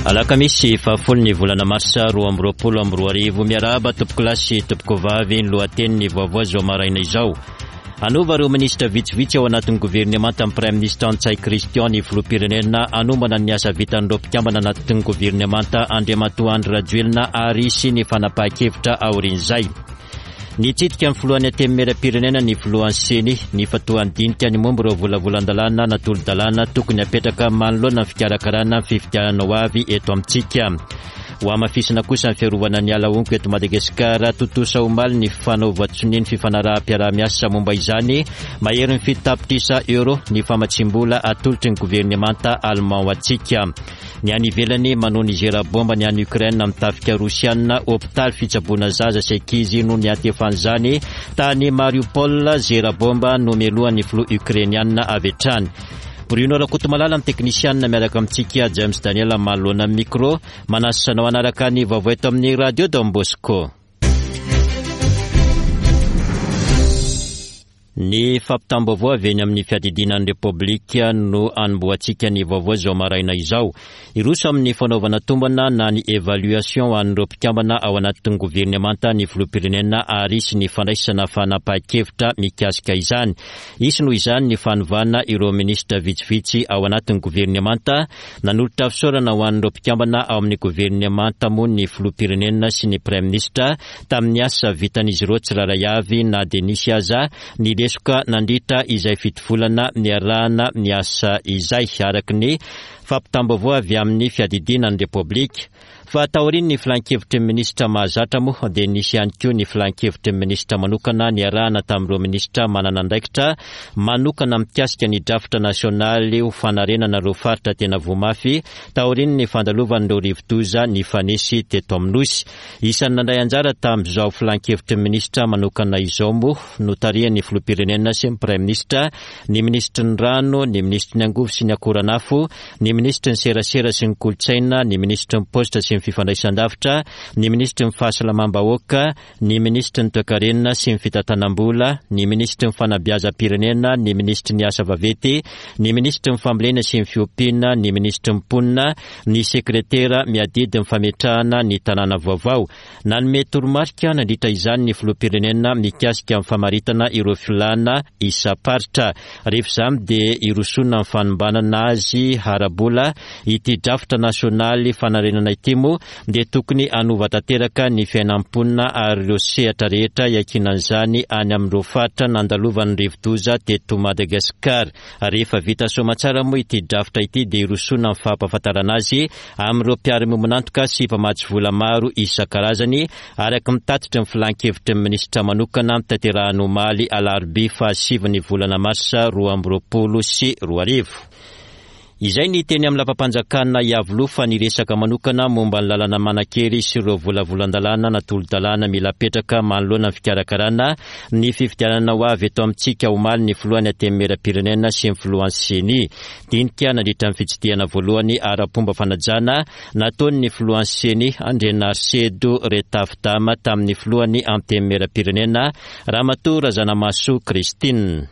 Alakamisy fahafolo ny volana marsa 2022. Miarahaba tompokolahy sy tompokovavy ny lohatenin'ny vaovao izao maraina izao. Hanova ireo minisitra vitsivitsy ao anatin'ny governemanta ny Praiminisitra Ntsay Christian ny filoham-pirenena hanombana ny asa vitan'ireo mpikambana anatin'ny governemanta Andriamatoa Andry Rajoelina ary hisy ny fanapahan-kevitra aorian'izay. Nitsidika ny filohan'ny Antenimierampirenena ny filohan'ny Ceni. Nifantohan'ny dinika ny momba ireo volavolan-dalàna na tolo-dalàna tokony hapetraka manoloana ny fikarakarana ny fifidianana ho avy eto amintsika. Hohamafisina kosa ny fiarovana ny ala honko eto Madagasikara. Tontosa omaly ny fanaovan-tsonia ny fifanaraham-piaraha-miasa momba izany. Maherin'ny 7 tapitrisa euro ny famatsiam-bola atolotry ny governemanta allemand ho antsika. Ny any ivelany, manohy ny zera bomba ny any Ukraine amin'ny tafika rosiana, hopitaly fitsaboana zaza sy ankizy no niantefan'izany tany Mariupol, zera bomba nomelohan'ny filoha ukrainiana avy hatrany. Bruno Rakotomalala ny teknisianina miaraka amintsika, James Daniel manoloana ny micro, manasa anao hanaraka ny vaovao eto amin'ny Radio Don Bosco. Ny fampitam-baovao avy eny amin'ny fiadidiana ny Repoblika no hanombohantsika ny vaovao izao maraina izao. Hiroso amin'ny fanaovana tombana na ny évaluation ho an'ireo mpikambana ao anatin'ny governemanta ny filoham-pirenena ary hisy ny fandraisana fanapahan-kevitra mikasika izany. Hisy noho izany ny fanovana ireo minisitra vitsivitsy ao anatin'ny governemanta. Nanolotra fisaorana ho an'ireo mpikambana ao amin'ny governemanta moa ny filoham-pirenena sy ny praiminisitra tamin'ny asa vitan'izy ireo tsirairay avy na dia nisy aza ny lesoka nandritra izay fitovolana niarahana niasa izay, araka ny fampitam-baovao avy amin'ny fiadidiana ny Repoblika. Fa taorian'ny filankevitry ny minisitra mahazatra moa dia nisy ihany koa ny filankevitry ny minisitra manokana niarahana tamin'ireo minisitra manana andraikitra manokana mikasika ny drafitra nasionaly ho fanarenana ireo faritra tena voa mafy taorian'ny fandalovan'ireo rivodoza nifanesy teto amin'ny Nosy. Isan'ny nandray anjara tamin'izao filankevitry ny minisitra manokana izao moa, notarihan'ny filoham-pirenena sy ny praiminisitra, ny minisitry ny rano, ny minisitry ny angovo sy ny akoranafo, ny minisitry ny serasera sy ny kolontsaina, ny minisitry ny paositra sy ny fifandraisan-davitra, ny minisitry ny fahasalamam-bahoaka, ny minisitry ny toekarena sy ny fitantanam-bola, ny minisitry ny fanabeazam-pirenena, ny minisitry ny asa vaventy, ny minisitry ny fambolena sy ny fiompiana, ny minisitry ny mponina, ny sekretera miadidy ny fametrahana ny tanàna vaovao. Nanome toromarika nandritra izany ny filoham-pirenena mikasika ny famaritana ireo filàna isam-paritra. Rehefa izany dia hirosoana ny fanombanana azy ara-bola. Ity drafitra nasionaly fanarenana ity moa dia tokony hanova tanteraka ny fiainan'ny mponina ary ireo sehatra rehetra iankinan'izany any amin'ireo faritra nandalovan'ny rivodoza teto Madagasikara. Rehefa vita soamatsara moa ity drafitra ity dia hirosoana ny fampahafantarana azy amin'ireo mpiara-miombon'antoka sy mpamatsy vola maro isan-karazany araka ny tatitry ny filan-kevitry ny minisitra manokana notanterahiny omaly alarobia fahasivin'ny volana marsa 2022. Izay ny teny amin'ny lapam-panjakana Iavoloha fa niresaka manokana momba ny lalana manan-kery sy ireo volavolan-dalàna na tolo-dalàna mila apetraka manoloana ny fikarakarana ny fifidianana ho avy eto amintsika omaly ny filohan'ny Antenimierampirenena sy ny filohan'ny Ceni. Dinika nandritra ny fitsidihana voalohany ara-pomba fanajana nataon'ny filohan'ny Ceni Andrianarisedo Retafdama tamin'ny filohan'ny Antenimierampirenena Ramatoa Razanamahasoa Christine.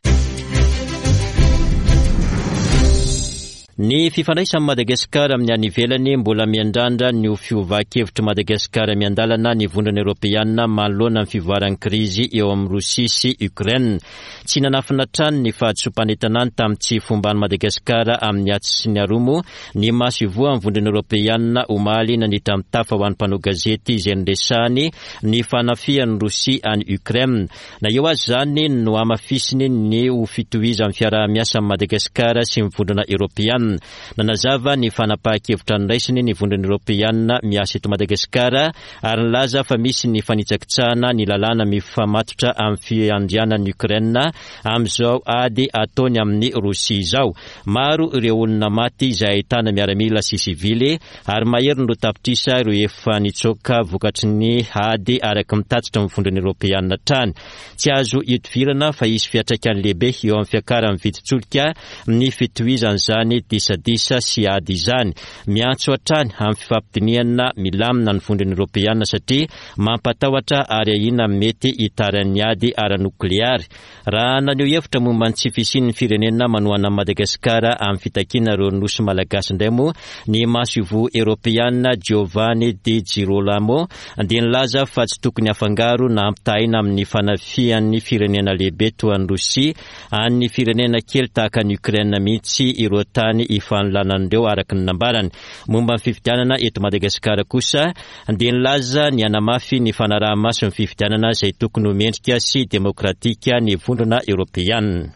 Ny fifandraisan'i Madagasikara amin'ny any ivelany, mbola miandrandra ny ho fiovan-kevitr'i Madagasikara miandalana ny Vondrona Eoropeana manoloana ny fivoaran'ny krizy eo amin'i Rosia sy Ukraine. Tsy nanafina hatrany ny fahadisoam-panentanany tamin'ny tsy fomban'i Madagasikara amin'ny atsy sy ny aroa moa ny maso ivoahan'ny Vondrona Eoropeana omaly nandritra ny tafa ho an'ny mpanao gazety izay niresahany ny fanafihan'i Rosia an'i Ukraine. Na eo aza izany, nohamafisiny ny ho fitohizan'ny fiaraha-miasa amin'i Madagasikara sy ny Vondrona Eoropeana. Nanazava ny fanapahan-kevitra noraisiny ny Vondrona Eoropeana miasa eto Madagasikara ary nilaza fa misy ny fanitsakitsahana ny lalàna mifamatotra amin'ny fiandrianan'i Ukraine amin'izao ady ataony amin'i Rosia izao. Maro ireo olona maty izay ahitana miaramila sy sivily ary mahery ny 2 tapitrisa ireo efa nitsoaka vokatry ny ady araka ny tatitra ny Vondrona Eoropeana hatrany. Tsy azo ihodivirana fa hisy fiantraikany lehibe eo amin'ny fiakaran'ny vidin-tsolika ny fitohizan'izany. disadisa sy ady izany. Miantso hatrany amin'ny fifampidinihana milamina ny Vondrona Eoropeana satria mampatahotra ary ahiana amin'ny mety hitaran'ny ady ara-nokleary. Raha naneho hevitra momba ny tsy fisian'ny firenena manohana an'i Madagasikara amin'ny fitakiana ireo nosy malagasy indray moa ny masoivoho eoropeana Giovanni Di Girolamo dia nilaza fa tsy tokony hafangaro na ampitahaina amin'ny fanafihan'ny firenena lehibe toa an'i Rosia an'ny firenena kely tahaka an'i Ukraine mihitsy ireo tany ifanolanan'ireo araka ny nambarany. Momba ny fifidianana eto Madagasikara kosa dia nilaza ny hanamafy ny fanaraha-maso ny fifidianana izay tokony ho mendrika sy demokratika ny Vondrona Eoropeana.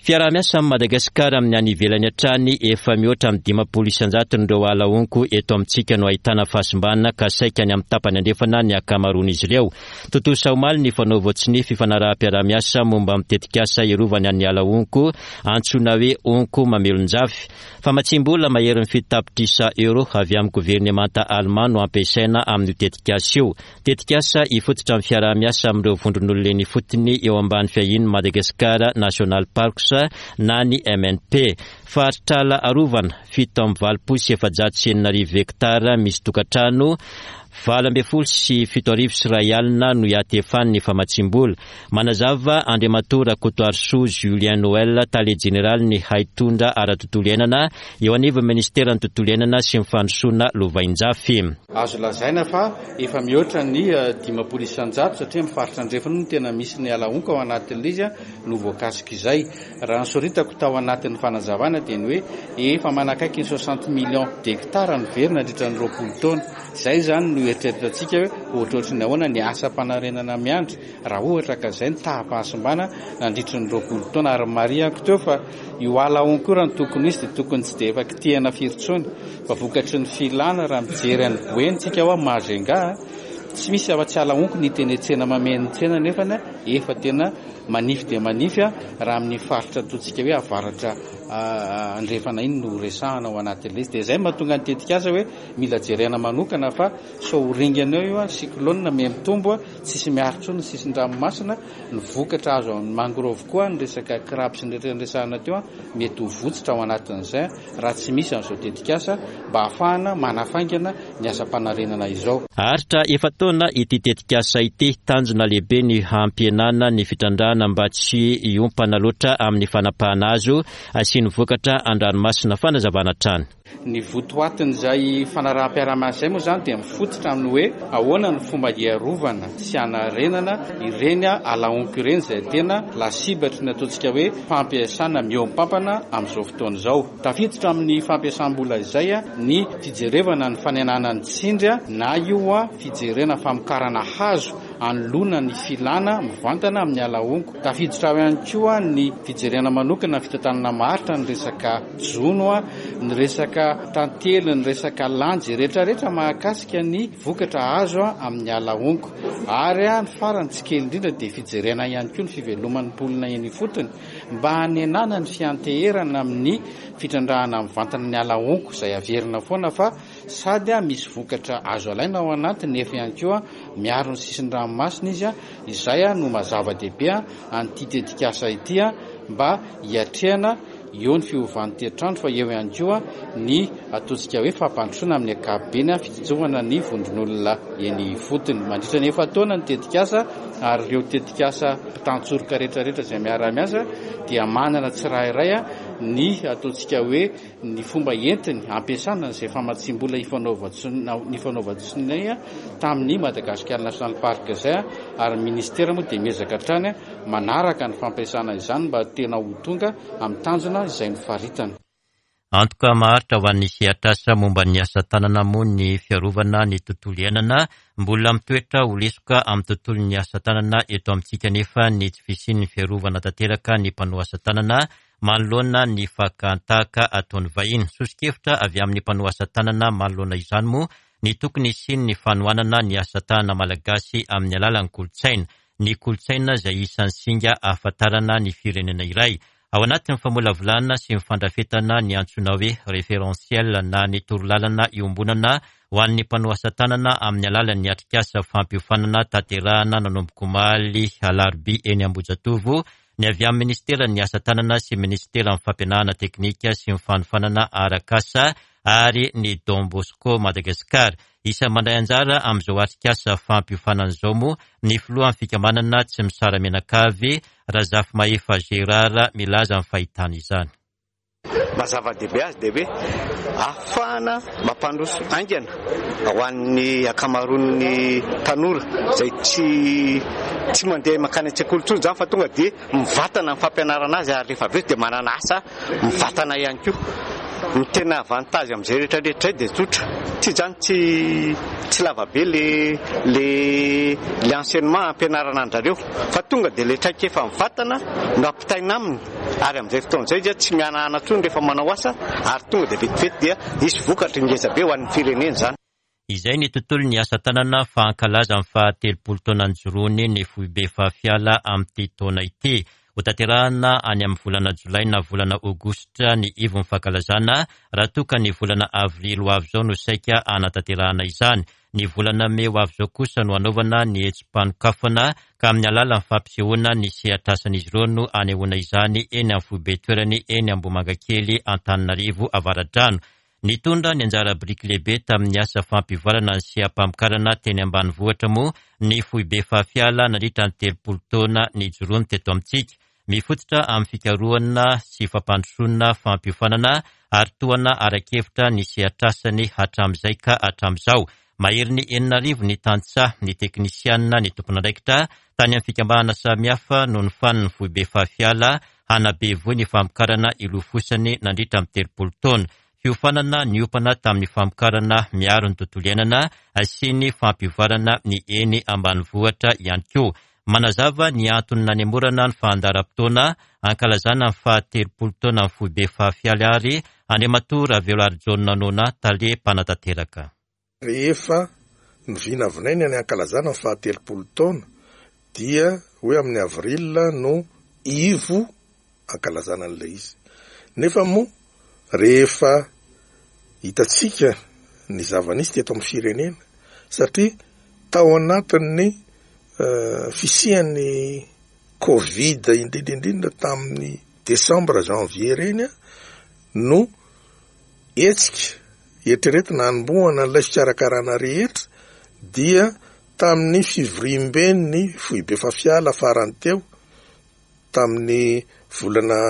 Fiaraha-miasa amin'i Madagasikara amin'ny any ivelany hatrany, efa mihoatra amin'ny 50 isan-jaton'ireo ala honko eto amintsika no ahitana fahasimbana ka saika any amin'ny tapany andrefana ny ankamaroan'izy ireo. Tontosa omaly ny fanaovan-tsonia fifanaraham-piaraha-miasa momba ny tetikasa hiarovana ny ala honko antsoina hoe Honko Mamelonjafy. Famatsiam-bola maherin'ny 7 tapitrisa Euro avy amin'ny governemanta Alemà no ampiasaina amin'io tetikasa io. Tetikasa hifototra amin'ny fiaraha-miasa amin'ireo vondron'olona eny ifotony eo ambany fiahian'ny Madagascar National Parks na ny MNP. Faritr'ala arovana, 6487 hektara misy tokantrano 7018 no hiatefan'ny famatsiam-bola. Manazava Andriamatoa Rakotoarisoa Julien Noël, Tale Jeneralin'ny Haitondra ara-tontolo iainana eo anivon'ny Minisiteran'ny Tontolo iainana sy ny Fandrosoana Lovainjafy. Azo lazaina fa efa mihoatra ny 50% satria amin'ny faritra andrefana no tena misy ny ala honko ao anatin'ilay izy no voakasik'izay. Raha ny soritako tao anatin'ny fanazavana dia ny hoe efa manakaiky ny 60 millions d'hectares no very nandritra ny 20 taona. Izay izany no eritreretantsika hoe ohatrohatry ny ahoana ny asam-panarenana miandry raha ohatra ka izay ny taham-pahasimbana nandritry ny 20 taona. Ary marihako teo fa io ala honko io raha ny tokony ho izy dia tokony tsy dia efa kitihana firy intsony fa vokatry ny filana raha mijery an'i Boeny tsika hoa Majunga tsy misy afa-tsy ala honko ny hita eny an-tsena mameno ny tsena nefany efa tena manify dia manify raha amin'ny faritra ataontsika hoe avaratra andrefana iny no resahana ao anatin'ilay izy. Dia izay no mahatonga ny tetikasa hoe mila jerena manokana fa sao ho ringana eo io cyclone miha mitombo, tsisy miaro intsony ny sisin-dranomasina, ny vokatra azo amin'ny mangrove koa, ny resaka crabe sy ny rehetra niresahana teo mety ho votsitra ao anatin'izay raha tsy misy an'izao tetikasa mba hahafahana manafaingana ny asam-panarenana izao. Haharitra efa-taona ity tetikasa ity. Tanjona lehibe ny hampihenana ny fitrandrahana mba tsy hiompana loatra amin'ny fanapahana hazo sy ny vokatra an-dranomasina. Fanazavana hatrany. Ny votoatin'izay fanaraham-piaraha-miasa izay moa izany dia mifototra amin'ny hoe ahoana ny fomba hiarovana sy hanarenana ireny ala honko ireny izay tena lasibatry ny ataontsika hoe fampiasana mihoam-pampana amin'izao fotoana izao. Tafiditra amin'ny fampiasam-bola izay ny fijerevana ny fanenana ny tsindry na io fijerena famokarana hazo anoloana ny filana mivantana amin'ny ala honko. Tafiditra ao ihany koa ny fijerena manokana ny fitantanana maharitra ny resaka jono, ny resaka tantely, ny resaka lanjy, rehetrarehetra mahakasika ny vokatra azo amin'ny ala honko. Ary ny farany tsy kely indrindra dia fijerena ihany koa ny fiveloman'ny mponina eny ifotony mba hanenana ny fianteherana amin'ny fitrandrahana mivantana ny ala honko izay averina foana fa Sady misy vokatra azo alaina ao anatiny nefa ihany koa miaro ny sisin-dranomasina izy, izay no maha zava-dehibe an'ity tetikasa ity mba hiatrehana eo ny fiovan'ny toetr'andro fa eo ihany koa ny ataontsika hoe fampandrosoana amin'ny ankapobeny, fitsinjovana ny vondron'olona eny ifotony. Mandritra ny efa-taona ny tetikasa ary ireo tetikasa mpitantsoroka rehetrarehetra izay miara-miasa dia manana tsirairay ny ataontsika hoe ny fomba entiny ampiasana izay famatsiam-bola nifanaovan-tsonia tamin'ny Madagascar National Park izay ary ny ministera moa dia miezaka hatrany manaraka ny fampiasana izany mba tena ho tonga amin'ny tanjona izay nofaritana. Antoka maharitra ho an'ny sehatr'asa momba ny asa tanana moa ny fiarovana ny tontolo iainana. Mbola mitoetra ho lesoka amin'ny tontolon'ny asa tanana eto amintsika anefa ny tsy fisian'ny fiarovana tanteraka ny mpanao asa tanana manoloana ny fakan-tahaka ataon'ny vahiny. Soso-kevitra avy amin'ny mpanao asa tanana manoloana izany moa ny tokony hisian'ny fanohanana ny asa tanana malagasy amin'ny alalan'ny kolontsaina. Ny kolontsaina izay isan'ny singa ahafantarana ny firenena iray. Ao anatin'ny famolavolana sy ny fandrafetana ny antsoina hoe référentiel na ny torolalana iombonana ho an'ny mpanao asa tanana amin'ny alalan'ny atrikasa fampiofanana tanterahana nanomboka omaly alarobia eny Ambohijatovo. ny avy amin'ny Minisiteran'ny Asa Tanana sy Minisiteran'ny Fampianarana Teknika sy ny Fanofanana Arak'asa ary ny Don Bosco Madagascar. Isan'ny mandray anjara amin'izao atrikasa fampiofanana izao moa ny filohan'ny fikambanana Tsy Misara-Mianakavy, Razafimahefa Gérard, milaza ny fahitana izany. Maha zava-dehibe azy dia hoe ahafahana mampandroso haingana ho an'ny ankamaroan'ny tanora izay tsy tsy mandeha mankany an-tsekoly intsony izany fa tonga dia mivantana ny fampianarana azy ary rehefa avy eo dia manana asa mivantana ihany koa. Ny tena avantage amin'izay rehetra rehetra izay dia tsotra, tsy izany tsy tsy lava be le le le enseignement ampianarana an-dRareo fa tonga dia ilay traikefa mivantana no ampitaina aminy. Ary amin'izay fotoana izay dia tsy mihanahana intsony rehefa manao asa ary tonga dia vetivety dia hisy vokatry ngeza be ho an'ny firenena izany. Izay ny tontolon'ny asa tanana fa hankalaza ny faha 30 taona nijoroany ny foibe Fahafiala amin'ity taona ity. Hotanterahina any amin'ny volana jolay na volana aogositra ny ivon'ny fankalazana raha toa ka ny volana avrily ho avy izao no saika hanatanterahana izany. Ny volana mey ho avy izao kosa no hanaovana ny hetsi-panokafana ka amin'ny alalan'ny fampisehoana ny sehatr'asan'izy ireo no hanehoana izany eny amin'ny foibe toerany eny Ambohimangakely Antananarivo Avaradrano. Nitondra ny anjara biriky lehibe tamin'ny asa fampivoarana ny seha-pamokarana teny ambanivohitra moa ny foibe Fahafiala nandritra ny 30 taona nijoroany teto amintsika. Mifototra amin'ny fikarohana sy fampandrosoana fampiofanana ary tohana ara-kevitra ny sehatr'asany hatramin'izay ka hatramin'izao. Maherin'ny 6000 ny tantsaha, ny teknisianina, ny tompon'andraikitra tany amin'ny fikambanana samihafa no nofanin'ny foibe Fahafiala hanabe voa ny famokarana ilofosany nandritra ny 30 taona. Fiofanana niompana tamin'ny famokarana miaro ny tontolo iainana sy ny fampivoarana ny eny ambanivohitra ihany koa. Manazava ny antony nanemorana ny fandaharam-potoana hankalazana ny faha 30 taonan'ny foibe Fahafialy ary Andriamatoa Raveloarijaona Nona, tale mpanatanteraka. Rehefa novinavinaina ny hankalazana ny faha 30 taona dia hoe amin'ny avril no ivo hankalazana an'ilay izy. Nefa moa rehefa hitantsika ny zava-nisy teto amin'ny firenena satria tao anatin'ny fisian'ny covid indrindra indrindra tamin'ny desambra janvier ireny no hetsika eritreretina hanombohana an'ilay fikarakarana rehetra dia tamin'ny fivoriamben'ny foibe Fafiala farany teo tamin'ny volana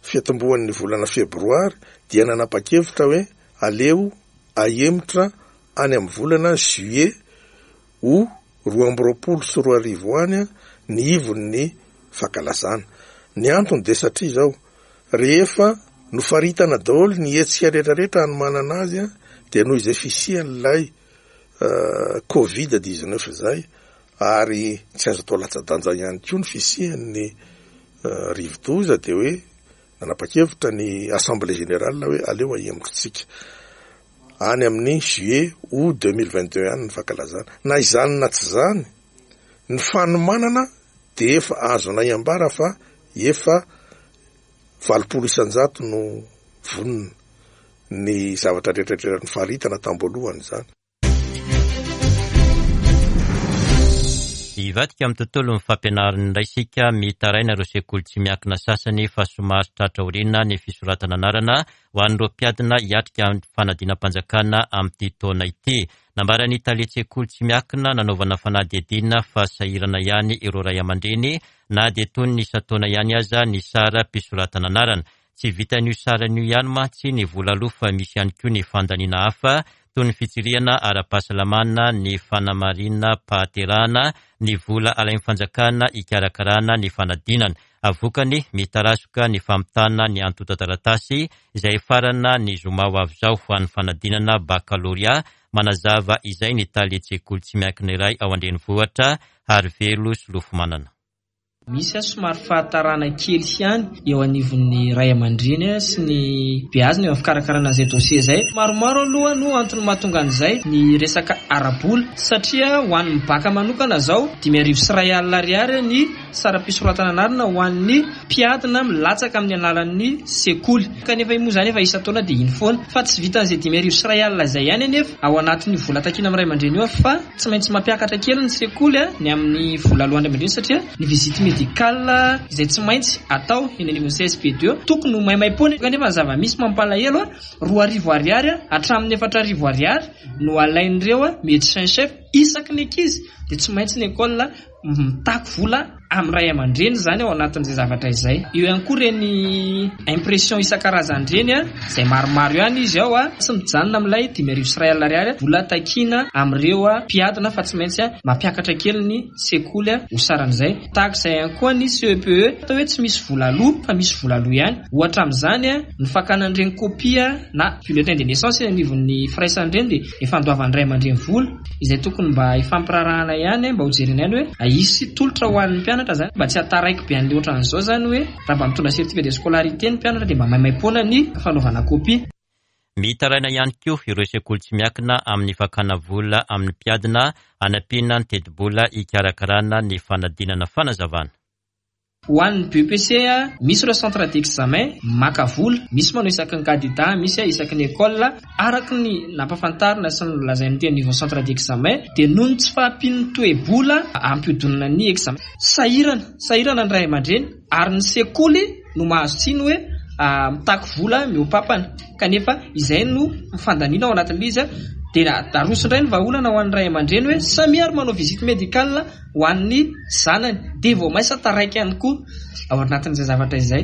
fiatombohan'ny volana febroary dia nanapa-kevitra hoe aleo ahemotra any amin'ny volana juillet ho 2022 any ny ivon'ny fankalazana. Ny antony dia satria izao, rehefa nofaritana daholo ny hetsika rehetrarehetra hanomanana azy dia noho izay fisian'ilay covid 19 izay ary tsy azo atao latsa-danja ihany koa ny fisian'ny rivodoza dia hoe nanapa-kevitra ny assemblée générale hoe aleo ahemotritsika any amin'ny juillet août 2022 any ny fankalazana. Na izany na tsy izany, ny fanomanana dia efa azonay ambara fa efa 80% no vonona ny zavatra rehetrarehetra nofaritana tam-boalohany izany. Hivadika amin'ny tontolon'ny fampianarana indray isika, mitaraina ireo sekoly tsy miankina sasany fa somary tratra aoriana ny fisoratana anarana ho an'ireo mpiadina hiatrika fanadinam-panjakana amin'ity taona ity. Nambaran'ny talen-tsekoly tsy miankina nanaovana fanadihadiana fa sahirana ihany ireo ray aman-dreny na dia toy ny isan-taona ihany aza ny saram-pisoratana anarana. Tsy vitan'io sarany io ihany mantsy ny vola aloa fa misy ihany koa ny fandaniana hafa toy ny fitsirihana ara-pahasalamana, ny fanamarinam-pahaterahana, ny vola alain'ny fanjakana hikarakarana ny fanadinana. Vokany, mitarazoka ny famitana ny antontan-taratasy izay hifarana ny zoma ho avy izao ho an'ny fanadinana bakalorea. Manazava izay ny talen-tsekoly tsy miankina iray ao an-drenivohitra, Harivelo Solofomanana. Misy somary fahatarana kely ihany eo anivon'ny ray aman-dreny sy ny beazina eo amin'ny fikarakarana an'izay dossier izay. Maromaro aloha no antony mahatonga an'izay, ny resaka ara-bola satria ho an'ny baka manokana izao 1500 ariary ny saram-pisoratana anarana ho an'ny mpiadina milatsaka amin'ny alalan'ny sekoly. Kanefa io moa izany efa isan-taona dia iny foana. Fa tsy vitan'izay 1500 izay ihany anefa ao anatin'io vola takiana amin'ny ray aman-dreny io fa Tsy maintsy mampiakatra kely ny sekoly ny amin'ny vola aloan'ny ray aman-dreny satria ny visite médicale. médicale izay tsy maintsy atao eny anivon'ny CSB2 tokony ho maimaimpoana kanefa ny zava-misy mampalahelo, 2000 ariary hatramin'ny 4000 ariary no alain'ireo médecin chef isaky ny ankizy dia tsy maintsy ny école mitaky vola amin'ny ray aman-dreny izany ao anatin'izay zavatra izay. Eo ihany koa ireny impression isan-karazany ireny, izay maromaro ihany izy ao, tsy mijanona amin'ilay 1500 ariary vola takiana amin'ireo mpiadina fa tsy maintsy mampiakatra kely ny sekoly ho saran'izay. Tahaka izay ihany koa ny CEPE, atao hoe tsy misy vola aloa fa misy vola aloa ihany. Ohatra amin'izany ny fakana an'ireny kopia na bulletin de naissance eny anivon'ny firaisana ireny dia efa andoavan'ny ray aman-dreny vola. Izay tokony mba hifampirarahana ihany mba ho jerena ihany hoe hisy tolotra ho an'ny mpianatra zany mba tsy hataraiky be an'le ohatran'izao zany hoe raha mba mitondra certificat de scolarité ny mpianatra dia mba maimaimpoana ny fanaovana copie. Mitaraina ihany koa ireo sekoly tsy miankina amin'ny fakana vola amin'ny mpiadina hanampiana ny tetibola hikarakarana ny fanadinana fanazavana. Ho an'ny BEPC, misy ireo centre d'examen maka vola, misy manao isaky ny candidat, misy isaky ny école. Araka ny nampahafantarina sy nolazain'ny teo anivon'ny centre d'examen dia noho ny tsy fahampian'ny toe-bola hampihodinana ny examen. Sahirana, sahirana ny ray aman-dreny ary ny sekoly no mahazo tsiny hoe mitaky vola mihoa-pampana kanefa izay no fandaniana ao anatin'ilay izy. Dia aroso indray ny vahaolana ho an'ny ray aman-dreny hoe samia ary manao visite médicale ho an'ny zanany dia vao maisa taraiky ihany koa ao anatin'izay zavatra izay.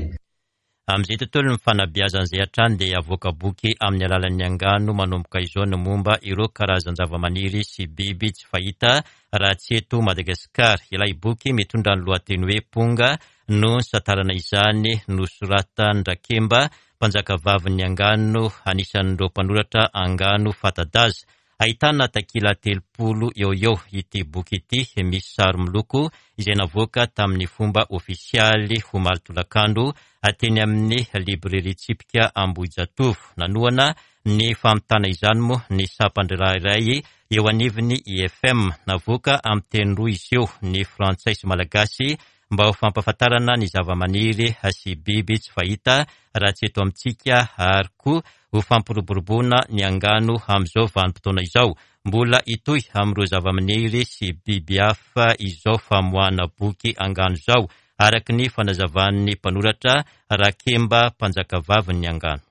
Amin'izay tontolon'ny fanabeazana izay hatrany dia havoaka boky amin'ny alalan'ny angano manomboka izao ny momba ireo karazan-javamaniry sy biby tsy fahita raha tsy eto Madagasikara. Ilay boky mitondra ny lohateny hoe Ponga no nisantarana izany nosoratan-dRakemba, mpanjakavavin'ny angano, anisan'ireo mpanoratra angano fanta-daza. Ahitana takila 30 eo ho eo ity boky ity, misy sary miloko izay navoaka tamin'ny fomba ofisialy omaly tolakandro teny amin'ny Librairie Tsipika Ambohijatovo. Nanohana ny famitana izany moa ny sampan-draharaha iray eo anivon'ny IFM. Navoaka amin'ny teny roa izy io, ny frantsay sy malagasy, mba ho fampahafantarana ny zavamaniry sy biby tsy fahita raha tsy eto amintsika ary koa ho fampiroboroboana ny angano amin'izao vanim-potoana izao. Mbola hitohy amin'ireo zavamaniry sy biby hafa izao famoahana boky angano izao, araka ny fanazavan'ny mpanoratra Rakemba Mpanjakavavin'ny angano.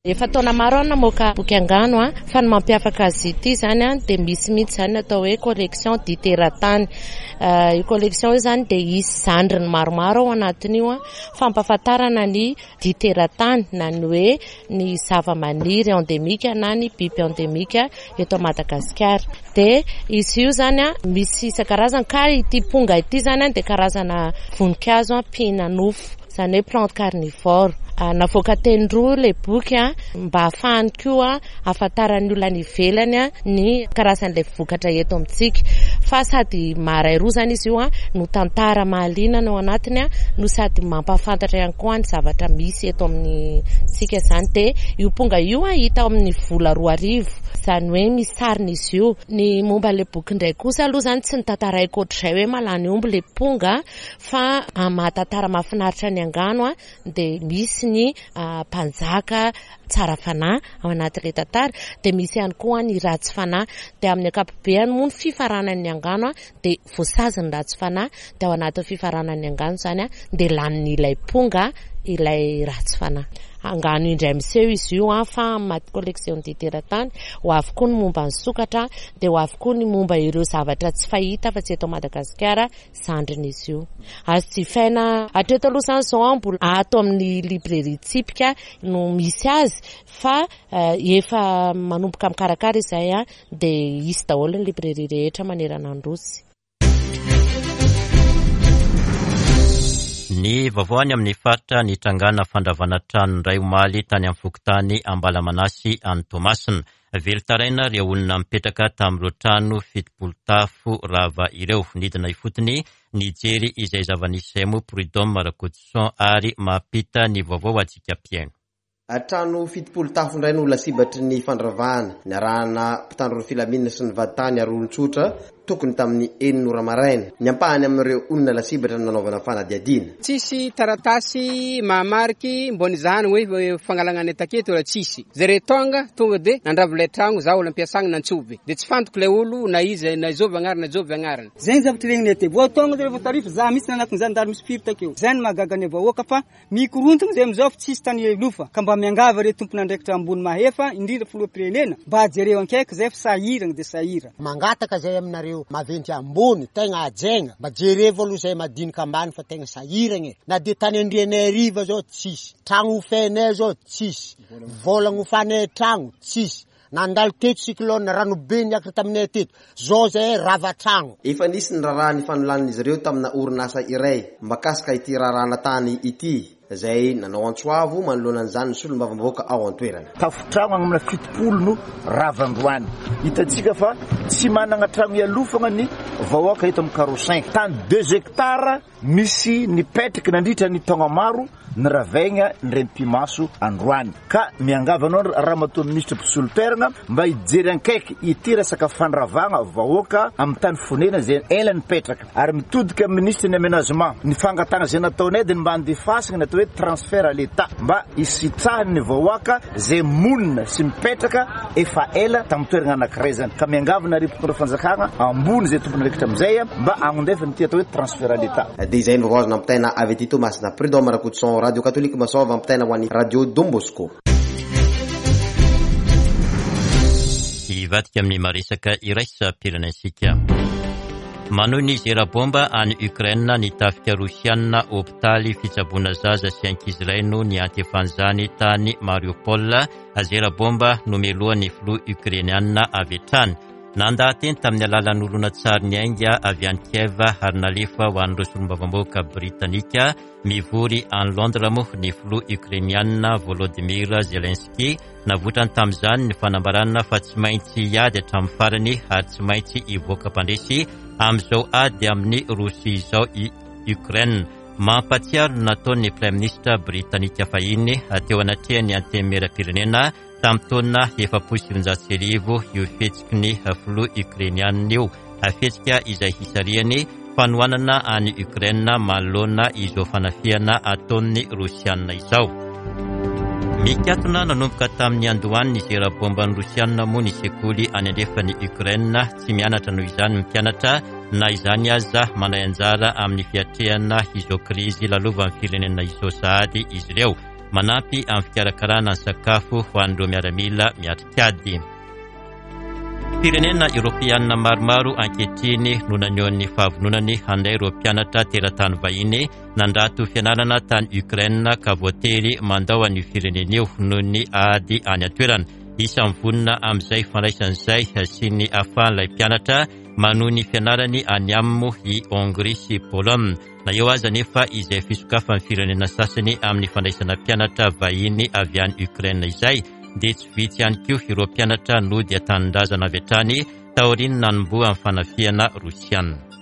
Efa taona maro aho namoaka boky angano fa ny mampiavaka azy ity izany dia misy mihitsy izany ny atao hoe collection diteratany. Io collection io izany dia hisy zandriny maromaro ao anatin'io fampahafantarana ny diteratany na ny hoe ny zavamaniry endemika na ny biby endemika eto Madagasikara. Dia izy io izany misy isan-karazany ka ity ponga ity izany dia karazana voninkazo mpihinanofo. Izany hoe plante carnivore. Navoaka teny roa ilay boky mba hahafahany koa hahafantaran'ny olona any ivelany ny karazan'ilay vokatra eto amintsika. Fa sady maharay roa izany izy io no tantara mahaliana ny ao anatiny no sady mampahafantatra ihany koa ny zavatra misy eto amintsika izany. Dia io ponga io hita ao amin'ny vola 2000, izany hoe misy sarin'izy io. Ny momba ilay boky indray kosa aloha izany tsy notantaraiko ohatr'izay hoe mahalany omby ilay ponga. Fa amin'ny maha tantara mahafinaritra ny angano dia misy ny mpanjaka tsara fanahy ao anatin'ilay tantara, dia misy ihany koa ny ratsy fanahy. Dia amin'ny ankapobeany moa ny fifaranan'ny angano dia voasazy ny ratsy fanahy, dia ao anatin'ny fifaranan'ny angano izany dia lanin'ilay ponga ilay ratsy fanahy. Angano indray miseho izy io fa amin'ny maha collection teratany, ho avy koa ny momba ny sokatra, dia ho avy koa ny momba ireo zavatra tsy fahita afa-tsy eto Madagasikara zandrin'izy io. Azo jifaina hatreto aloha izany izao an, mbola ato amin'ny librairie Tsipika no misy azy fa efa manomboka mikarakara izay an, dia hisy daholo ny librairie rehetra manerana ny Nosy. Ny vaovao any amin'ny faritra nitrangana fandravana trano indray omaly tany amin'ny fokontany Ambalamanasy any Toamasina. Velon-taraina ireo olona nipetraka tamin'ireo trano 70 tafo rava ireo. Nidina ifotony nijery izay zava-nisy izay moa Prud'homme Rakotoson ary mampita ny vaovao ho antsika mpihaino. Trano 70 tafo indray no lasibatry ny fandravahana, niarahana mpitandro ny filaminana sy ny vadintany ary olon-tsotra. tokony tamin'ny enina ora maraina. Ny ampahany amin'ireo olona lasibatra no nanaovana fanadihadiana. Tsisy taratasy mahamariky mbô nizahana hoe fangalagna ny taketo raha tsisy. Zare tonga tonga de nandrava ilay tragno, zaho olo ampiasagna nantsovy. De tsy fantako ilay olo na iza na zovy agnarany na zovy agnarany. Zegny zavatra regninay aty. Vao tonga zareo vao tarify, za mihitsy nanatona zandary misy firy takeo. Zay no mahagaga ny vahoaka fa Mikorontana zay amizao fa tsisy tany hialofa ka mba miangavy re tomponandraikitra ambony mahefa indrindra filoham-pirenena mba jereo ankaiky zay fa sahiragna de sahira. Mangataka zay aminareo maventy ambony tegna hajaigna mba jerevo aloha zay madinika ambany fa tegna sahiragna e na de tany andrianay hariva zao tsisy tragno hofenay zao tsisy vola agnofanay tragno tsisy Nandalo teto cyclone, rano be niakatra taminay teto. Zao zahay rava tragno. Efa nisy ny raharaha nifanolanan'izy ireo tamina orinasa iray mahakasika ity raharahana tany ity, izay nanao antso avo manoloana an'izany ny solombavambahoaka ao an-toerana. Tafontragno agny amina 70 no rava androany. Hitantsika fa tsy managna tragno hialofagna ny vahoaka eto amin'ny Carreau cinq. Tany deux hectares Misy nipetraka nandritra ny taogna maro niravaigna ny renipimaso androany ka miangavy anao Ramatoa Minisitra mpisolo toeragna mba hijery ankaiky ity resaka fandravagna vahoaka amin'ny tany fonena izay ela nipetraka ary mitodika amin'ny Minisitry ny Aménagement ny fangatahagna izay nataonay dia ny mba handefasagna ny atao hoe transfert à l'Etat mba hisitrahan'ny vahoaka izay monina sy mipetraka efa ela tamin'ny toeragna anankiray zany ka miangavy nareo mpitondra fanjakagna ambony izay tompon'andraikitra amin'izay mba hagnondefa an'ity atao hoe transfert à l'Etat. Dia izay no vaovao azo nampitaina avy aty Toamasina. Prud'homme Rakotoson, Radio Katolika Masoava ampitaina ho an'ny Radio Don Bosco. Hivadika amin'ny maresaka iraisam-pirenena isika. Manohy ny zera bomba any Ukraine ny tafika Rosiana, hopitaly fitsaboana zaza sy ankizy iray no niantefan'izany tany Mariupol. Zera bomba nomelohan'ny filoha Ukrainiana avy hatrany. Nandaha-teny tamin'ny alalan'ny horonantsary niainga avy any Kiev ary nalefa ho an'ireo solombavambahoaka Britanika mivory any Londres moa ny filoha Ukrainiana Volodymyr Zelensky. Navoitrany tamin'izany ny fanambarana fa tsy maintsy hiady hatramin'ny farany ary tsy maintsy hivoaka mpandresy amin'izao ady amin'i Rosia izao i Ukraine. Mampahatsiaro ny nataon'ny Praiminisitra Britanika fahiny teo anatrehan'ny Antenimierampirenena Tamin'ny taona 1940 io fihetsiky ny filoha Ukrainiana io, fihetsika izay hisarihany fanohanana an'i Ukraine manoloana izao fanafihana ataon'ny Rosiana izao. Mikatona nanomboka tamin'ny niandohan'ny zera bomban'ny Rosiana moa ny sekoly any andrefan'i Ukraine. Tsy mianatra noho izany ny mpianatra, na izany aza mandray anjara amin'ny fiatrehana izao krizy lalovan'ny firenena izao sahady izy ireo. Manampy amin'ny fikarakarana ny sakafo ho an'ireo miaramila miatrik'ady. Firenena Eoropeanina maromaro ankehitriny no naneho ny fahavononany handray ireo mpianatra teratany vahiny nandrato fianarana tany Ukraine ka voatery mandao an'io firenena io noho ny ady any an-toerana. Isan'ny vonona amin'izay fandraisana izay sy ny ahafahan'ilay mpianatra manohy ny fianarany any aminy moa i Hongrie sy Pologne. Na eo aza anefa izay fisokafan'ny firenena sasany amin'ny fandraisana mpianatra vahiny avy any Ukraine izay, dia tsy vitsy ihany koa ireo mpianatra nody an-tanindrazana avy hatrany taorian'ny nanombohan'ny fanafihana rosiana.